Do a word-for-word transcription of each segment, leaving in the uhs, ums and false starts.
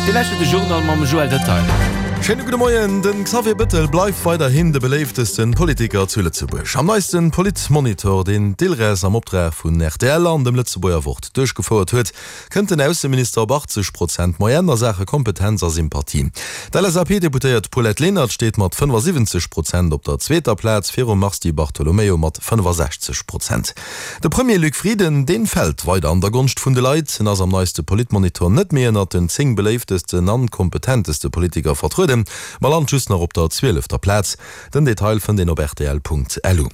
Dir lauschtert de Journal mam Joël Detail. Schéine gudde Moien, Den Xavier Bëttel bleift weiderhin de beléiftesten Politiker zu Lëtzebuerg. Am neisten Politmonitor, deen d'ILRES am Optrag vun rtl an dem Lëtzebuerger Wort duerchgefouert huet, kënnt den Ausseminister op achtzeg Prozent Moyenne a Saache Kompetenz a Sympathie. D'LSAP-Deputéiert Paulette Lenert steet mat fënnefasiwwenzeg Prozent op der zweeter Plaz, virum Mars Di Bartolomeo mat fënnefasechzeg Prozent. De Premier Luc Frieden, deen fält weider an der Gonscht vun de Leit. En ass am neiste Politmonitor net méi ënnert den zéng beléiftesten an kompetenteste Politiker vertrueden, ma lant just nach op der zwielefter Plaz. Den Detail fënnt een op rtl.lu.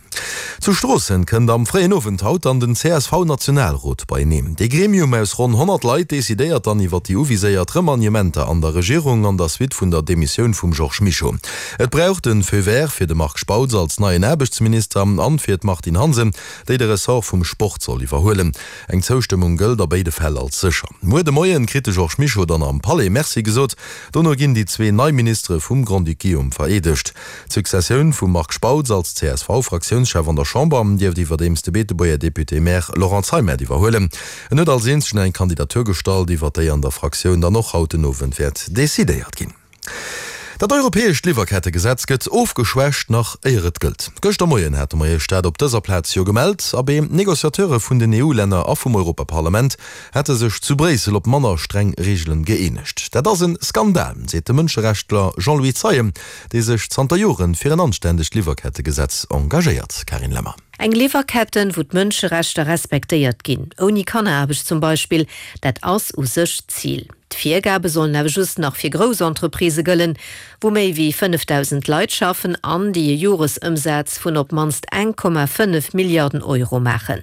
Zu Stroossen kënnt am fréien Owend haut dann den C S V-Nationalrot beieneen. Dee Gremium aus ronn honnert Leit decidéiert dann iwwer déi uviséiert Remaniementer an der Regierung an der Suite vun der Demissioun vum Georges Mischo. Et brauch de Feu vert fir de Marc Spautz als neien Aarbechtsminister an fir d'Martine Hansen, déi de Ressort vum Sport soll iwwerhuelen. Eng Zoustëmmung gëllt a béide Fäll als sécher. Muer de Moien kritt de Georges Mischo dann am Palais Merci gesot. Dono ginn déi zwee nei Ministere vum Grand-Duc Guillaume vereedegt. D'Successioun vum Marc Spautz als C S V-Fraktiounschef an der Chamber dierft iwwerdeems de Beetebuerger Député-Maire Laurent Zeimet iwwerhuelen. En huet als eenzegen eng Kandidatur gestallt, iwwer déi an der Fraktioun dann och haut den Owend wäert decidéiert ginn. Dat europäescht Liwwerkettegesetz gëtt ofgeschwächt, nach éier et gëllt. Gëschter Moien hate mer Iech dat op dëser Plaz jo gemellt. Abee, d'Negociateure vun den E U-Länner a vum Europaparlament hätte sech zu Bréissel op manner streng Reegelen gëeenegt. Dat ass e Skandal, seet de Mënscherechtler Jean-Louis Zeien, dee sech zanter Joren fir en anständegt Liwwerkettegesetz engagéiert. Carine Lemmer. Eng Liwwerketten, wou d'Mënscherechter respektéiert ginn, ouni Kanneraarbecht zum Beispill, dat ass u sech d'Zil. D'Virgabe sollen awer just nach fir grouss Entreprisë gëllen, wou méi wéi fënnefdausend Leit schaffen an déi e Joresëmsaz vun op d'mannst eng Komma fënnef Milliarden Euro maachen.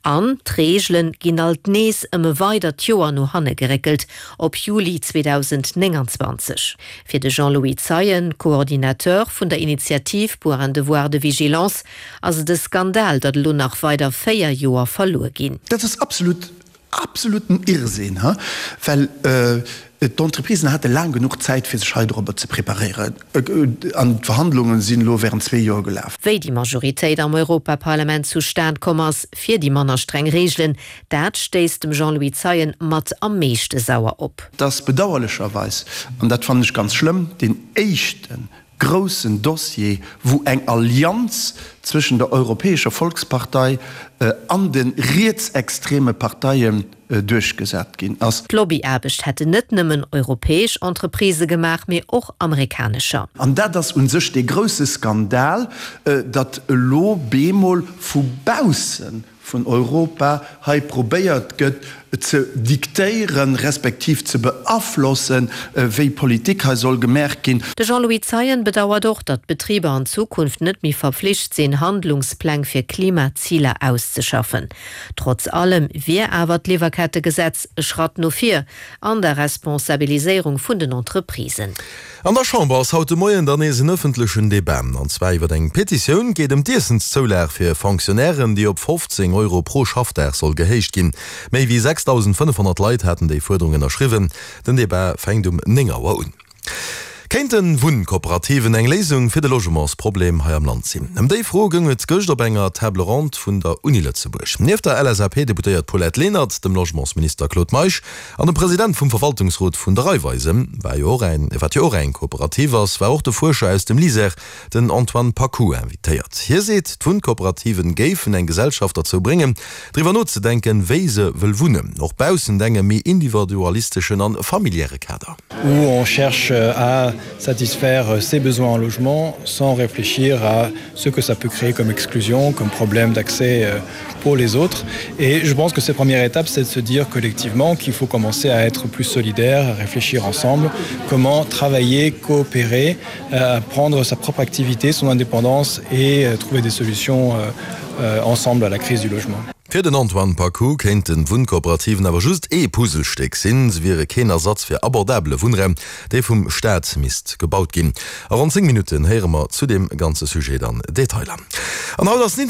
An d'Reegele ginn alt nees ëm e weidert Joer no hanne geréckelt, op Juli zweedausendnénganzwanzeg. Fir de Jean-Louis Zeien, Coordinateur vun der Initiative pour un devoir de vigilance, ass et e Skandal, datt elo nach weider véier Joer verluer ginn. Dat ass absolut, absoluten Irrsinn, well d'Entreprisen hate laang genuch Zäit, fir sech hei dorobber ze preparéieren, an d'Verhandlunge sinn elo während zwee Joer gelaf. Wéi déi Majoritéit am Europaparlament zustan komm ass fir déi manner streng Reegelen, dat stéisst dem Jean-Louis Zeien mat am meeschte sauer op. Et ass bedauerlecherweis, an dat fannen ech ganz schlëmm, deen éischte groussen Dossier, wou eng Allianz zwëschen der Europäescher Volkspartei an de rietsextreme Parteien duerchgesat ginn ass. D'Lobbyaarbecht hätten net nëmmen europäesch Entreprisë gemaach, mee och amerikanescher. An dat ass u sech dee grousse Skandal, datt elo bemol vu bausse vun Europa hei probéiert gëtt ze diktéieren, respektiv ze beaflossen, wéi Politik hei soll gemaach ginn. De Jean-Louis Zeien bedauert och, datt d'Betriber an Zukunft net méi verflicht sinn, Handlungspläng fir Klimaziler auszeschaffen. Trotz allem wier awer d'Liwwerkettegesetz e Schratt no vir an der Responsabiliséierung vun den Entreprisen. An der Chamber ass haut de Moien dann nees en ëffentlechen Debat, an zwar iwwer eng Petitioun. Geet ëm d'Iessenszoulag fir Fonctionnairen, déi op fofzéng Euro pro Schaffdag soll gehéicht ginn. Méi wéi sechsdausendfënnefhonnert Leit haten déi Fuerderung ënnerschriwwen. Den Debat fänkt um néng Auer un. Kéinten Wunnkooperativen eng Léisung fir de Logementsproblem hei am Land sinn? Ëm déi Fro goung et gëscht op enger Table ronde vun der Uni Lëtzebuerg. Nieft der L S A P-Deputéiert Paulette Lenert, dem Logementsminister Claude Meisch an dem President vum Verwaltungsrot vun der Raiffeisen, war jo och eng, wat jo och eng Kooperativ ass, war och de Fuerscher aus dem LISER, den Antoine Paccoud, invitéiert. Hie seet, d'Wunnkooperativen géifen eng Gesellschaft derzou bréngen, driwwer nozedenken, wéi se wëll wunnen, och baussent engem méi individualisteschen a familiäre Kader. Où on cherche à satisfaire ses besoins en logement sans réfléchir à ce que ça peut créer comme exclusion, comme problème d'accès euh, pour les autres. Et je pense que cette première étape, c'est de se dire collectivement qu'il faut commencer à être plus solidaire, à réfléchir ensemble, comment travailler, coopérer, à prendre sa propre activité, son indépendance et euh, trouver des solutions euh, ensemble à la crise du logement. Fir den Antoine Paccoud kéinten Wunnkooperativen awer just ee Puzzlestéck sinn, se wiere keen Ersatz fir abordabele Wunnraum, dee vum Staat misst gebaut ginn. A ronn zéng Minutten héiere mer zu deem ganze Sujet dann Detailer. An haut ass den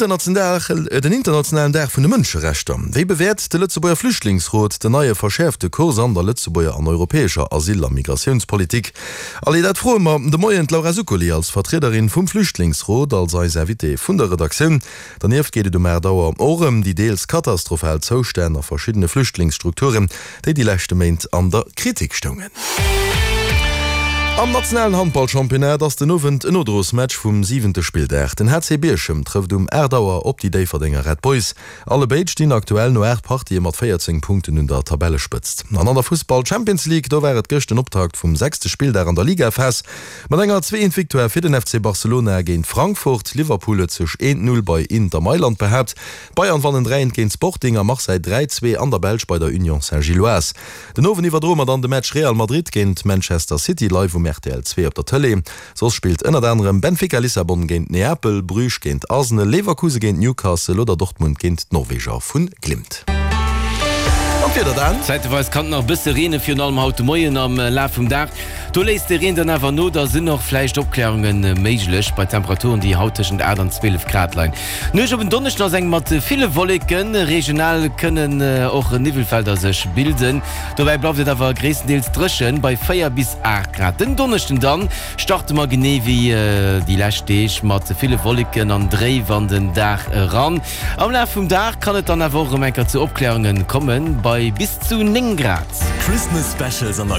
internationalen Dag vun de Mënscherechter. Wéi bewäert de Lëtzebuerger Flüchtlingsrot den neie verschäerfte Kurs an der Lëtzebuerger an europäescher Asyl a Migratiounspolitik? Allez, dat froe mer de Moien d'Laura Zuccoli als Vertriederin vum Flüchtlingsrot, als eis Invitée vun der Redaktioun. Dernieft geet et um aacht Auer och ëm déi deels katastrophal Zoustänn a verschiddene Flüchtlingsstrukturen, déi déi leschte Méint an der Kritik stoungen. Am nationalen Handballchampionnat ass den Owend en Nodrosmatch vum siwente Spilldag. Den H C Bierchem trëfft um aacht Auer op déi Déifferdenger Red Boys. Allebéid stinn aktuell no aacht Partië mat véierzéng Punkten un der Tabellespëtzt. An an der Fussball-Champions League, do war et gëscht den Optakt vum sechste Spilldag an der Ligaphas mat enger Zwee-Eent-Victoire fir den F C Barcelona géint Frankfurt. Liverpool huet sech eent-Null bei Inter Mailand behaapt. D'Bayern wannen dräi-eent géint Sporting a Marseille dräi-zwee an der Belsch bei der Union Saint-Gilloise. Den Owend iwwerdroe mer dann de Match Real Madrid géint Manchester City live um R T L zwee op der Tëlee. Soss spillt ënnert anerem Benfica Lissabon géint Neapel, Bruges géint Arsenal, Leverkusen géint Newcastle oder Dortmund géint d'Norweger vun Glimt. An d'Wieder dann? Zäiteweis kann et nach e bësse reene, virun allem haut de Moien. Am Laf vum Dag do léisst de Reen dann awer no, da sinn och vläicht Opklärunge méiglech bei Temperaturen, déi haut tëschent aacht an zwielef Grad leien. D'Nuecht op en Donneschden ass eng mat ville Wolleken, regional kënnen och Niwwelfelder sech bilden. Dobäi bleift et awer gréisstendeels dréchen bei véier bis aacht Grad. Den Donneschden dann starte mer genee wéi déi lescht Deeg mat ville Wolleken an dréif an den Dag eran. Am Laf vum Dag kann et dann awer och erëm eng Kéier zu Opklärunge kommen bei bis zu néng Grad. Christmas Specials an der.